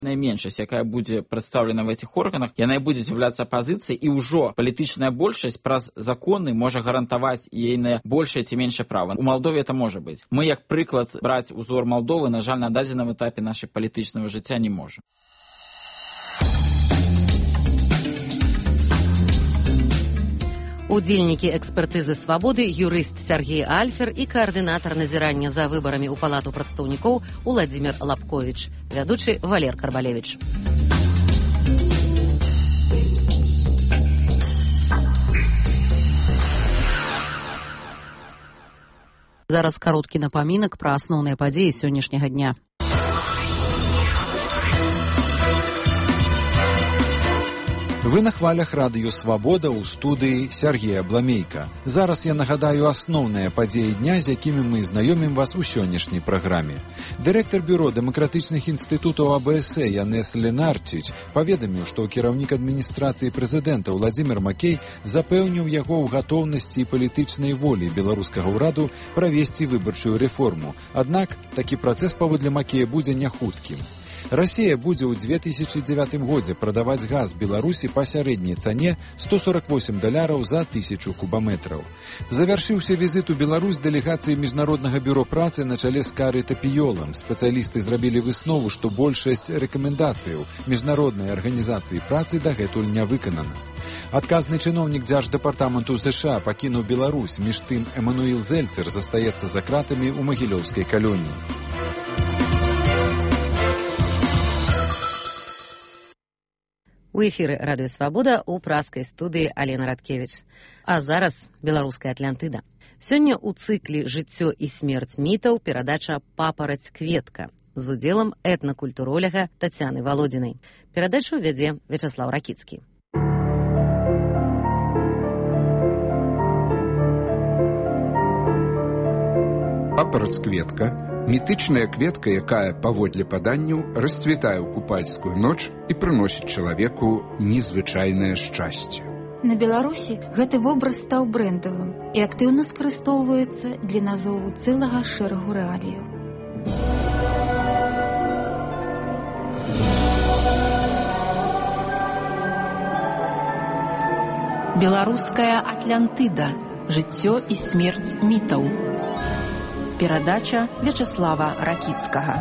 меншасць, якая будзе прадстаўлена в этих органах, яна і будзе з'яўляцца апазіцыяй, і ўжо палітычная большасць праз законы можа гарантаваць ейнае большае ці меншае права. У Малдове это можа быць. Мы, як прыклад, браць узор Малдовы, на жаль, на дадзеным этапе нашай палітычнага жыцця не можам. Удзельнікі экспертызы «Свабоды» юрыст Сергей Альфер і каардынатар назірання за выбарамі ў Палату прадстаўнікоў Уладзімір Лапковіч, вядучы Валер Карбалевіч. Зараз кароткі напамінак пра асноўныя падзеі сённяшняга дня. Вы на хвалях радыё «Свабода» ў студыі Сергея Бламейка. Зараз я нагадаю асноўныя падзеі дня, з якімі мы знаёмім вас у сённяшняй праграме. Дырэктар бюро дэмакратычных інстытутаў АБС Янес Ленарчич паведаміў, што кіраўнік адміністрацыі прэзідэнта Уладзімір Макей запэўніў яго ў гатоўнасці і палітычнай волі беларускага ўраду правесці выбарчую рэформу. Аднак такі працэс паводле Макея будзе няхуткім. Расія будзе ў 2009 годзе прадаваць газ Беларусі па сярэдняй цане $148 за 1000 кубаметраў. Завяршыўся візіт у Беларусь дэлегацыі Міжнароднага бюро працы на чале з Карай Тапіёлам. Спецыялісты зрабілі выснову, што большасць рэкамендацыяў Міжнароднай арганізацыі працы дагэтуль не выканана. Адказны чыноўнік Дзярждэпартаменту США пакінуў Беларусь, між тым Эмануіл Зельцер застаецца за кратамі ў магілёўскай калоніі. У эфіры радыё «Свабода» у праскай студыі Алена Радкевіч. А зараз беларуская Атлантыда. Сёння ў цыкле «Жыццё і смерць мітаў» перадача «Папараць кветка» з удзелам этнакультуроляга Тацяны Валодзінай. Перадачу вядзе Вячаслаў Ракіцкі. Папараць кветка – мітычная кветка, якая, паводле паданняў, расцвітае ў купальскую ноч і прыносіць чалавеку незвычайнае шчасце. На Беларусі гэты вобраз стаў брэндавым і актыўна скарыстоўваецца для назову цэлага шэрагу рэаліяў. Беларуская Атлантыда. Жыццё і смерць мітаў. Перадача Вячаслава Ракіцкага.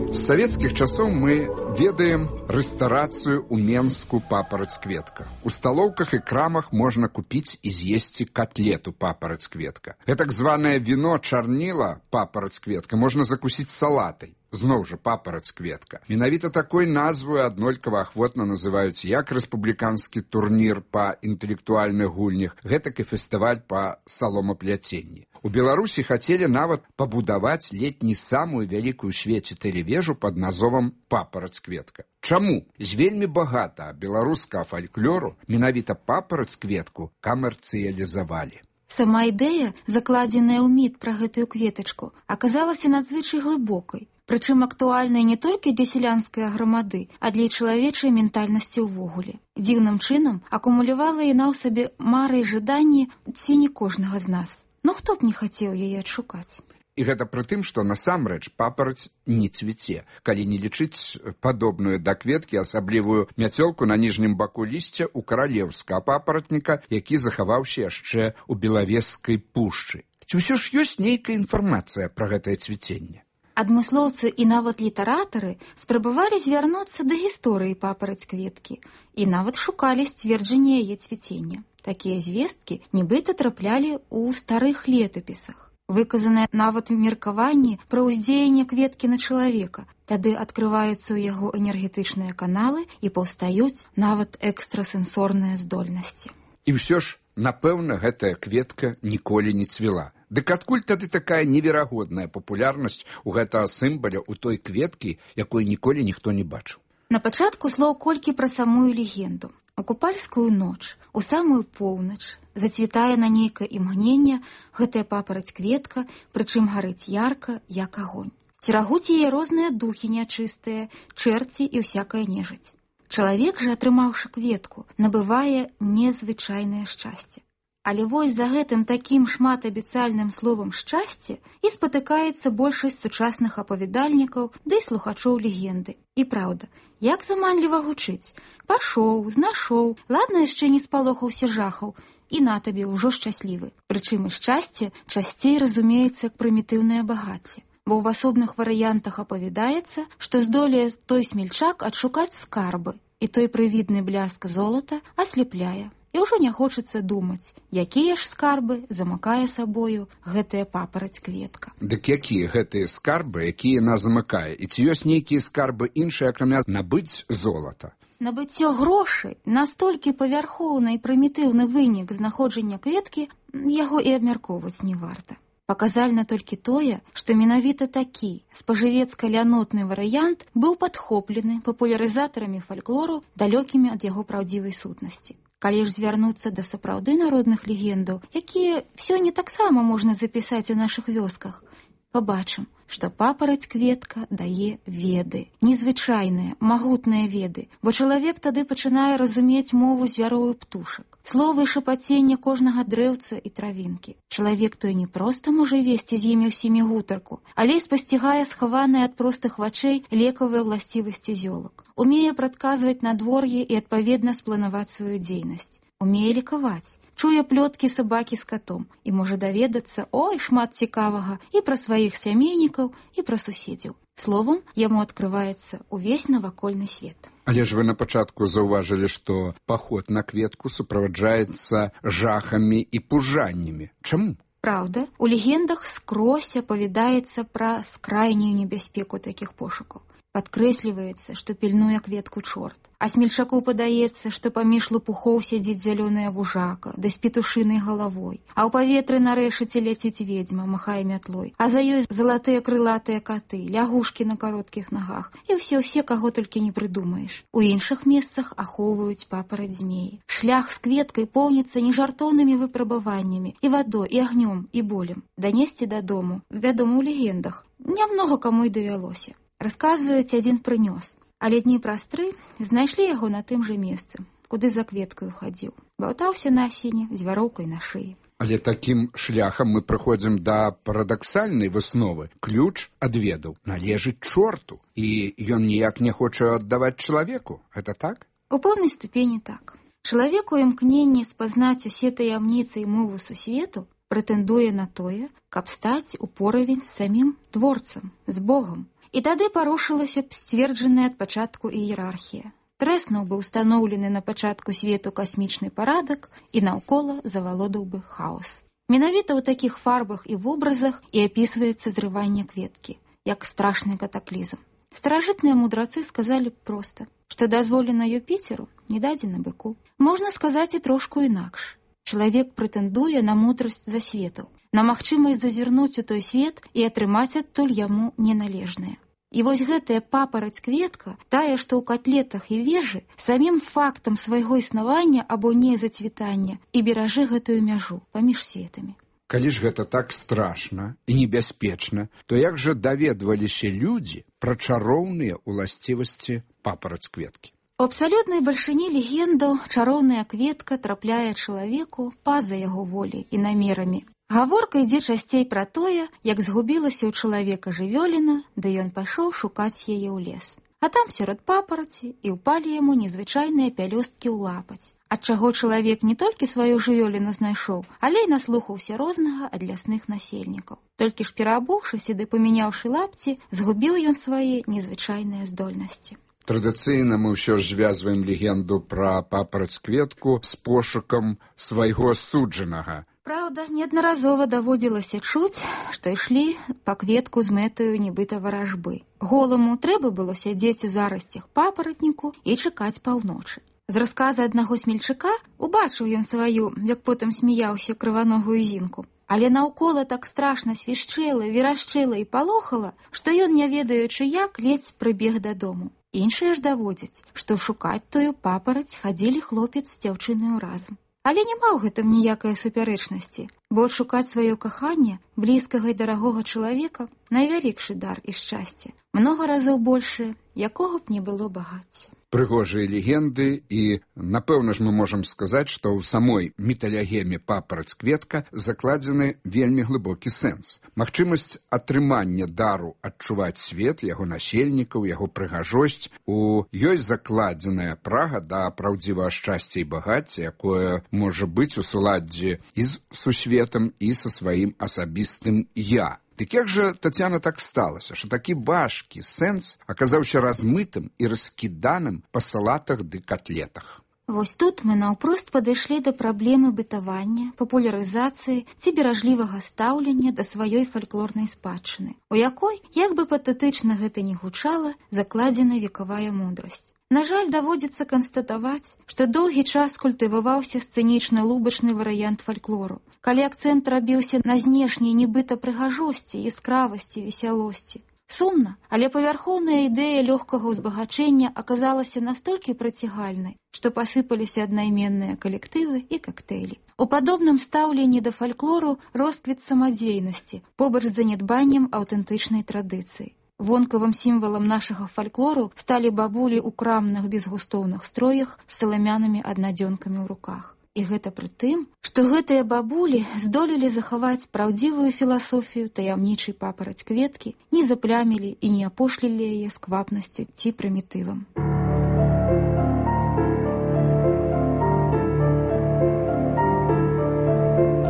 З савецкіх часоў мы ведаем рэстарацыю ў Менску «Папараць кветка». У сталоўках і крамах можна купіць і з'есці котлету «Папараць кветка». Гэтак званае віно чарніла «Папараць кветка» можна закусіць салатай. Зноў жа «Папараць кветка». Менавіта такой назваю аднолькава ахвотна называюць як рэспубліканскі турнір па інтэлектуальных гульнях, гэтак і фестываль па саломапляценні. У Беларусі хацелі нават пабудаваць летні самую вялікую ў свеце тэлевежу пад назовам «Папараць кветка». Чаму? З вельмі багата беларускага фальклору менавіта «Папараць кветку» камерцыялізавалі. Сама ідэя, закладзеная ў міт пра гэтую кветачку, аказалася надзвычай глыбокай, прычым актуальнай не толькі для сялянскай грамады, а для чалавечай ментальнасці ўвогуле. Дзіўным чынам акумулявала яна ў сабе мары і жаданні ці не кожнага з нас. Ну хто б не хацеў яе адшукаць? І гэта пры тым, што насамрэч папараць не цвіце, калі не лічыць падобную да кветкі асаблівую мяцёлку на ніжнім баку лісця ў каралеўскага папаратніка, які захаваўся яшчэ ў Белавежскай пушчы. Ці ўсё ж ёсць нейкая інфармацыя пра гэтае цвіценне? Адмыслоўцы і нават літаратары спрабавалі звярнуцца да гісторыі папараць кветкі і нават шукалі сцверджанне яе цвіцення. Такія звесткі нібыта траплялі ў старых летапісах. Выказанае нават меркаванне пра ўздзеянне кветкі на чалавека. Тады адкрываюцца ў яго энергетычныя каналы і паўстаюць нават экстрасэнсорныя здольнасці. І ўсё ж, напэўна, гэтая кветка ніколі не цвіла. Дык адкуль тады такая неверагодная папулярнасць у гэтага сімваля ў той кветкі, якой ніколі ніхто не бачыў? На пачатку слоў колькі пра самую легенду. У купальскую ноч, у самую поўнач, зацвітае на нейкае імгненне гэтая папараць кветка, прычым гарыць ярка, як агонь. Церагуць яе розныя духі нячыстыя, чэрці і ўсякая нежыць. Чалавек жа, атрымаўшы кветку, набывае незвычайнае шчасце. Але вось за гэтым такім шматабяцальным словам «шчасце» і спатыкаецца большасць сучасных апавядальнікаў ды і слухачоў легенды. І праўда, як заманліва гучыць. Пашоў, знашоў, ладна яшчэ не спалохаўся жахаў, і на табе ўжо шчаслівы. Прычым і шчасце часцей разумеецца як прымітыўнае багацце. Бо ў асобных варыянтах апавядаецца, што здолее той смельчак адшукаць скарбы, і той прывідны бляск золата аслепляе. І ўжо не хочацца думаць, якія ж скарбы замыкае сабою гэтая папараць-кветка. Дык якія гэтыя скарбы, якія нас замыкае? І ці ёсць нейкія скарбы іншыя, акрамя набыць золата? Набыццё грошай настолькі павярхоўны і прымітыўны вынік знаходжання кветкі, яго і абмяркоўваць не варта. Паказальна толькі тое, што менавіта такі спажывецка-лянотны варыянт быў падхоплены папулярызатарамі фальклору, далёкімі ад яго праўдзівай сутнасці. Калі ж звярнуцца да сапраўды народных легендаў, якія сёння таксама можна запісаць у нашых вёсках, пабачым, што папараць-кветка дае веды, незвычайныя, магутныя веды, бо чалавек тады пачынае разумець мову звяроў і птушак, словы і шапаценне кожнага дрэўца і травінкі. Чалавек той не проста можа весці з імі ўсімі гутарку, але і спасцігае схаваныя ад простых вачэй лекавыя ўласцівасці зёлак. Умее прадказваць надвор'е і адпаведна спланаваць сваю дзейнасць. Умее лікаваць, чуе плёткі сабакі з катом і можа даведацца, ой, шмат цікавага і пра сваіх сямейнікаў, і пра суседзяў. Словам, яму адкрываецца увесь навакольны свет. Але ж вы на пачатку заўважылі, што паход на кветку суправаджаецца жахамі і пужаннямі. Чаму? Праўда, у легендах скрозь апавядаецца пра скрайнюю небяспеку такіх пошукаў. Падкрэсліваецца, што пільнуе кветку чорт. А смельчаку падаецца, што паміж лопухоў сядзіць зялёная вужака, да з петушынай галавой. А ў паветры на рэшаце ляціць ведзьма, махае мятлой. А за ёй залатыя крылатыя каты, лягушкі на кароткіх нагах. І ўсе, каго толькі не прыдумаеш. У іншых месцах ахоўваюць папараць-змеі. Шлях з кветкай поўніцца нежартоўнымі выпрабаваннямі, і вадой, і агнём, і болем. Данесці дадому, вядома, у легендах, нямнога каму й давялося. Расказваюць, адзін прынёс, але дні праз 3 знайшлі яго на тым жа месцы, куды за кветкаю хадзіў. Баўтаўся на асіне з вяроўкай на шыі. Але такім шляхам мы прыходзім да парадаксальнай высновы. Ключ ад ведаў належыць чорту, і ён ніяк не хоча аддаваць чалавеку. Гэта так? У пэўнай ступені так. Чалавек у імкненні спазнаць усе таямніцы і мову сусвету прэтэндуе на тое, каб стаць у поравень з самім творцам, з Богам. І тады парушылася б сцверджаная ад пачатку іерархія. Трэснуў бы ўстаноўлены на пачатку свету касмічны парадак і наўкола завалодаў бы хаос. Менавіта ў такіх фарбах і вобразах і апісваецца зрыванне кветкі, як страшны катаклізм. Старажытныя мудрацы сказалі б проста, што дазволена Юпіцеру, не дадзена быку. Можна сказаць і трошку інакш. Чалавек прэтэндуе на мудрасць засветаў, на магчымасць зазірнуць у той свет і атрымаць адтуль яму неналежнае. І вось гэтая папараць-кветка, тая, што ў катлетах і вежы, самім фактам свайго існавання або незацвітання і беражы гэтую мяжу паміж светамі. Калі ж гэта так страшна і небяспечна, то як жа даведваліся людзі пра чароўныя ўласцівасці папараць-кветкі? У абсалютнай бальшыні легендаў чароўная кветка трапляе чалавеку па-за яго волі і намерамі. Гаворка ідзе часцей пра тое, як згубілася ў чалавека жывёліна, ды ён пайшоў шукаць яе ў лес. А там сярод папараці і ўпалі яму незвычайныя пялёсткі ў лапаць, ад чаго чалавек не толькі сваю жывёліну знайшоў, але і наслухаўся рознага ад лясных насельнікаў. Толькі ж пераабуўшыся ды памяняўшы лапці, згубіў ён свае незвычайныя здольнасці. Традыцыйна мы ўсё ж звязваем легенду пра папараць-кветку з пошукам свайго суджанага. Праўда, неаднаразова даводзілася чуць, што ішлі па кветку з мэтаю нібыта варажбы. Голаму трэба было сядзець у зарасцях папаратніку і чакаць паўночы. З расказа аднаго смельчака убачыў ён сваю, як потым смяяўся, крываногую зінку. Але наўкола так страшна свішчэла, верашчэла і палохала, што ён, не ведаючы як, ледзь прыбег дадому. Іншыя ж даводзяць, што шукаць тую папараць хадзілі хлопец з дзяўчынаю разам. Але няма ў гэтым ніякай супярэчнасці, бо адшукаць сваё каханне, блізкага і дарагога чалавека, найвялікшы дар і шчасце, многа разоў большае, якога б не было багацця. прыгожыя легенды, і, напэўна ж, мы можам сказаць, што ў самой міталегеме папараць-кветка закладзены вельмі глыбокі сэнс. Магчымасць атрымання дару адчуваць свет, яго насельнікаў, яго прыгажосць. У ёй закладзеная прага да праўдзівага шчасця і багацця, якое можа быць у суладдзі і з сусветам, і са сваім асабістым «я». Дык як жа, Тацяна, так сталася, што такі важкі сэнс аказаўся размытым і раскіданым па салатах ды котлетах? Вось тут мы наўпрост падышлі да праблемы бытавання, папулярызацыі ці беражлівага стаўлення да сваёй фальклорнай спадчыны, у якой, як бы патэтычна гэта ні гучала, закладзена векавая мудрасць. На жаль, даводзіцца канстатаваць, што доўгі час культываваўся сцэнічна-лубачны варыянт фальклору, калі акцэнт рабіўся на знешняй нібыта прыгажосці, яскравасці, весялосці. Сумна, але павярхоўная ідэя лёгкага ўзбагачэння аказалася настолькі прыцягальнай, што пасыпаліся аднайменныя калектывы і кактэйлі. У падобным стаўленні да фальклору росквіт самадзейнасці, побач з занядбаннем аўтэнтычнай традыцыі. Вонкавым сімвалам нашага фальклору сталі бабулі ў крамных безгустоўных строях з саламянымі аднадзёнкамі ў руках. І гэта пры тым, што гэтыя бабулі здолелі захаваць праўдзівую філасофію таямнічай папараць-кветкі, не заплямілі і не апошлілі яе сквапнасцю ці прымітывам.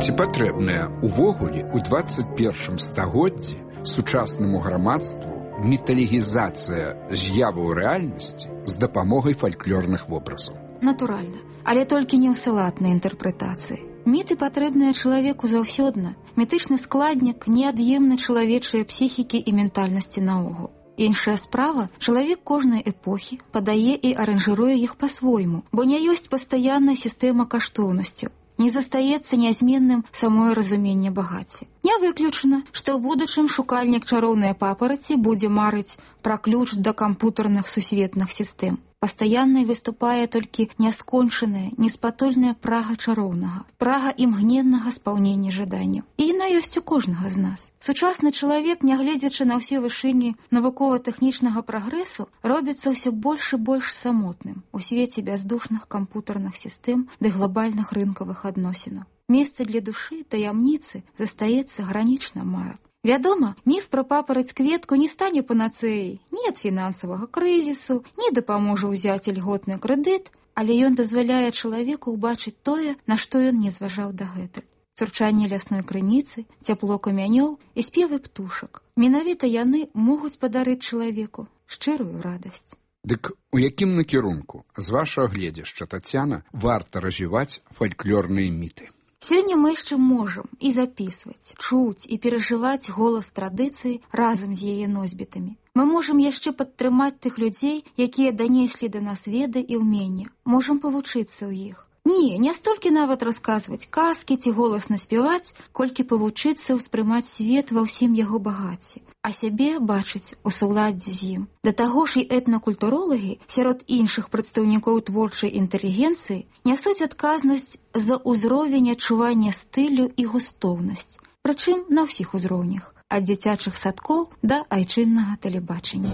Ці патрэбная увогуле ў 21 стагоддзі сучаснаму грамадству міталегізацыя з'яваў рэальнасці з дапамогай фальклорных вобразаў? Натуральна, але толькі не ў салатнай інтэрпрэтацыі. Міты патрэбныя чалавеку заўсёдна. Мітычны складнік неад'емны чалавечыя псіхікі і ментальнасці наогул. Іншая справа, чалавек кожнай эпохі падае і аранжыруе іх па-свойму, бо не ёсць пастаянная сістэма каштоўнасцяў. Не застаецца нязменным самое разуменне багацця. Не выключана, што ў будучым шукальнік чароўнай папараці будзе марыць пра ключ да кампутарных сусветных сістэм. Пастаяннай выступае толькі няскончаная, неспатольная прага чароўнага, прага імгненнага спаўнення жаданняў. І яна ёсць у кожнага з нас. Сучасны чалавек, нягледзячы на ўсе вышыні навукова-тэхнічнага прагрэсу, робіцца ўсё больш і больш самотным у свеце бяздушных кампутарных сістэм ды глобальных рынкавых адносінаў. Месца для душы, таямніцы застаецца гранічна мара. Вядома, міф пра папараць-кветку не стане панацэяй ні ад фінансавага крызісу, ні дапаможа ўзяць ільготны крэдыт, але ён дазваляе чалавеку ўбачыць тое, на што ён не зважаў дагэтуль. Цурчанне лясной крыніцы, цяпло камянёў і спевы птушак. Менавіта яны могуць падарыць чалавеку шчырую радасць. Дык у якім накірунку, з вашага гледзяшча, Тацяна, варта развіваць фальклорныя міты? Сёння мы яшчэ можам і запісваць, чуць і перажываць голас традыцыі разам з яе носьбітамі. Мы можам яшчэ падтрымаць тых людзей, якія данеслі да нас веды і ўмення. Можам павучыцца ў іх. Не столькі нават расказваць казкі ці голасна спяваць, колькі павучыцца ўспрымаць свет ва ўсім яго багацці, а сябе бачыць у суладдзі з ім. Да таго ж і этнакультуролагі сярод іншых прадстаўнікоў творчай інтэлігенцыі нясуць адказнасць за ўзровень адчування стылю і густоўнасць, прычым на ўсіх узроўнях, ад дзіцячых садкоў да айчыннага тэлебачання.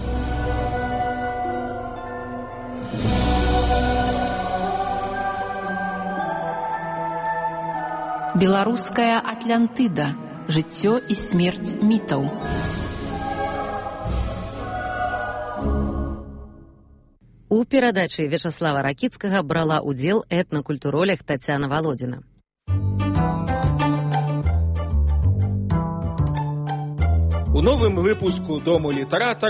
Беларуская Атлантыда. Жыццё і смерць мітаў. У перадачы Вячаслава Ракіцкага брала ўдзел этнакультуролог Тацяна Валодзіна. У новым выпуску «Дому літаратара»